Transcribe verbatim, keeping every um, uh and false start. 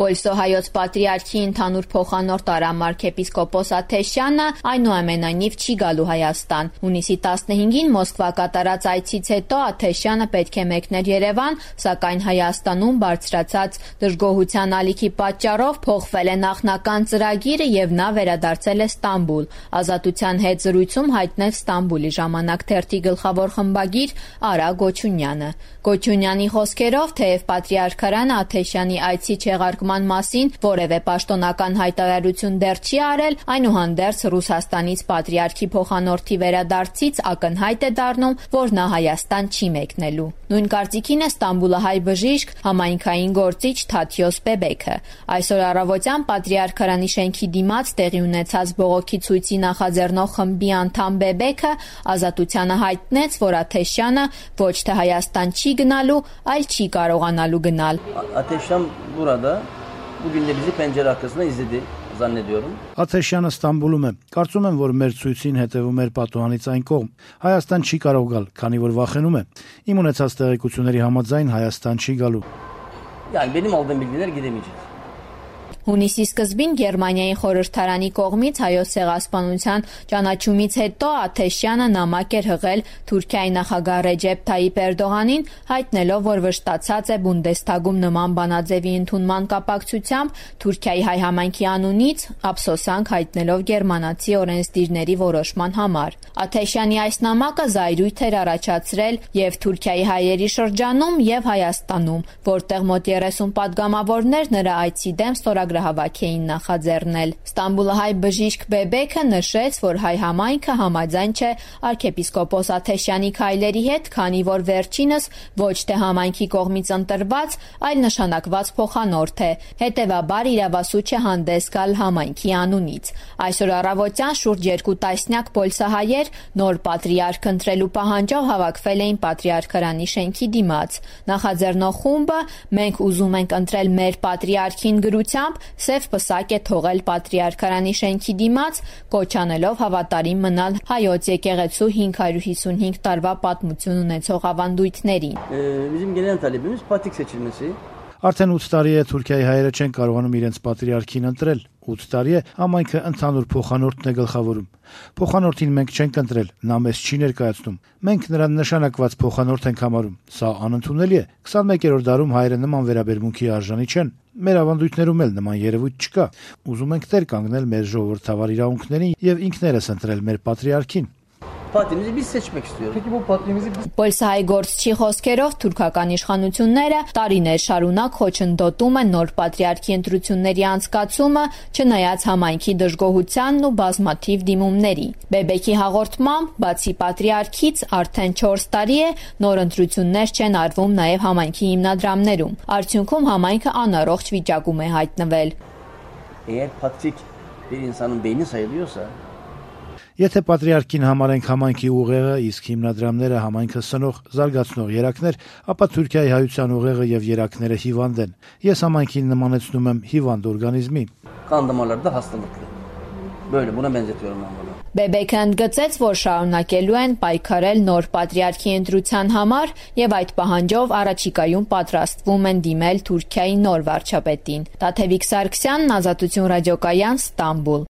Պոլսո-հայոց պատրիարքի ընդհանուր փոխանորդ Արամ arczepiskopos Աթեշյանը այնուամենայնիվ չի գալու Հայաստան։ Հունիսի տասնհինգին Մոսկվա կատարած այցից հետո Աթեշյանը պետք է մեկներ Երևան, սակայն Հայաստանում բարձրացած դժգոհության ալիքի պատճառով փոխվել է նախնական ծրագիրը եւ նա վերադարձել է Ստամբուլ։ Ազատության հետ զրույցում հայտնեց Ստամբուլի ժամանակ թերթի գլխավոր խմբագիր Արա Գոչունյանը։ Գոչունյանի խոսքերով, թեև պատրիարքարանը Աթեշյանի այցի չեղարկման մասին որևէ պաշտոնական հայտարարություն դեռ չի արել, այնուհանդերձ Ռուսաստանից պատրիարքի փոխանորդի վերադարձից ակնհայտ է դառնում, որ նա Հայաստան չի մեկնելու։ Նույն կարծիքին է Ստամբուլահայ բժիշկ, համայնքային գործիչ Թաթյոս Բեբեքը։ Այսօր առավոտյան պատրիարքարանի շենքի դիմաց տեղի ունեցած բողոքի ցույցի նախաձեռնող խմբի անդամ Բեբեքը Ազատությանը հայտնեց, որ Աթեշյանը ոչ թե Հայաստան չի գնալու, այլ չի կարողանալու գնալ։ Աթեշյան burada bugün de bizi pencere arkasında izledi zannediyorum. Աթեշյանը Ստամբուլում է։ Կարծում եմ, որ մեր ցույցին հետևում էր պատուհանից այն կողմ։ Հայաստան չի կարող գալ, քանի որ վախենում է։ Իմ ունեցած տեղեկությունների համաձայն Հայաստան չի գալու։ Yani benim aldığım bilgiler gidemeyecek. Հունիսի սկզբին Գերմանիայի խորհրդարանի կողմից հայոց ցեղասպանության ճանաչումից հետո Աթեշյանը նամակ էր հղել Թուրքիայի նախագահ Ռեջեփ Թայիփ Էրդողանին, հայտնելով, որ վշտացած է Բունդեսթագում նման բանաձևի ընդունման կապակցությամբ Թուրքիայի հայ համայնքի անունից, ափսոսանք հայտնելով գերմանացի օրենսդիրների որոշման համար։ Աթեշյանի այս նամակը զայրույթ էր առաջացրել եւ Թուրքիայի հայերի շրջանում եւ Հայաստանում, որտեղ մոտ երեսուն պատգամավորներ նրա այցի դեմ ստորագրահավաք էին նախաձեռնել։ Ստամբուլահայ բժիշկ Բեբեքը նշեց, որ հայ համայնքը համաձայն չէ arczepiskopos Աթեշյանի քայլերի հետ, քանի որ վերջինս ոչ թե համայնքի կողմից ընտրված, այլ նշանակված փոխանորդ է, հետևաբար իրավասու չէ հանդես գալ համայնքի անունից։ Այսօր առավոտյան շուրջ երկու տասնյակ պոլսահայեր նոր պատրիարք ընտրելու պահանջով հավաքվել էին պատրիարքարանի շենքի դիմաց։ Նախաձեռնող խումբը «Մենք ուզում ենք ընտրել մեր պատրիարքին» գրությամբ սև պսակ է թողել պատրիարքարանի շենքի դիմաց, կոչ անելով հավատարիմ մնալ հայոց եկեղեցու հինգ հարյուր հիսունհինգ տարվա պատմություն ունեցող ավանդույթներին։ Bizim genel talebimiz patrik seçilmesi. Արդեն ութ տարի է Թուրքիայի հայերը չեն կարողանում իրենց պատրիարքին ընտրել։ ութ տարի է համայնքը ընդհանուր փոխանորդն է գլխավորում։ Փոխանորդին մենք չենք ընտրել, նա մեզ չի ներկայացնում։ Մենք նրան նշանակված փոխանորդ ենք համարում։ Սա անընդունելի է։ քսանմեկերորդ դարում հայերը նման վերաբերմունքի արժանի չեն։ Մեր ավանդույթներում էլ նման երևույթ չկա։ Ուզում ենք տեր կանգնել մեր ժողովրդավար իրավունքներին եւ ինքներս ընտրել մեր պատրիարքին։ Patrimizi biz seçmek istiyoruz. Peki bu patrimizi biz... Պոլսահայ գործչի խոսքերով թուրքական իշխանությունները տարիներ շարունակ խոչընդոտում են նոր պատրիարքի ընտրությունների անցկացումը, չնայած համայնքի դժգոհությանն ու բազմաթիվ դիմումների։ Բեբեքի հաղորդմամբ, բացի պատրիարքից, արդեն չորս տարի է նոր ընտրություններ չեն արվում նաև համայնքի հիմնադրամներում։ Արդյունքում համայնքը անառողջ վիճակում է հայտնվել։ Eğer patrik bir insanın beyni sayılıyorsa Եթե պատրիարքին համարենք համայնքի ուղեղը, իսկ հիմնադրամները համայնքը սնող, զարգացնող երակներ, ապա Թուրքիայի հայության ուղեղը եւ երակները հիվանդ են։ Ես համայնքին նմանեցնում եմ հիվանդ օրգանիզմի։ Kan damarları da hastalıklı. Böyle buna benzetiyorum ben bunu. Բեբեքը ընդգծեց, որ շարունակելու են պայքարել նոր պատրիարքի ընտրության համար եւ այդ պահանջով առաջիկայում պատրաստվում են դիմել Թուրքիայի նոր վարչապետին։ Տաթևիկ Սարգսյանն, Ազատություն ռադիոկայան, Ստամբուլ։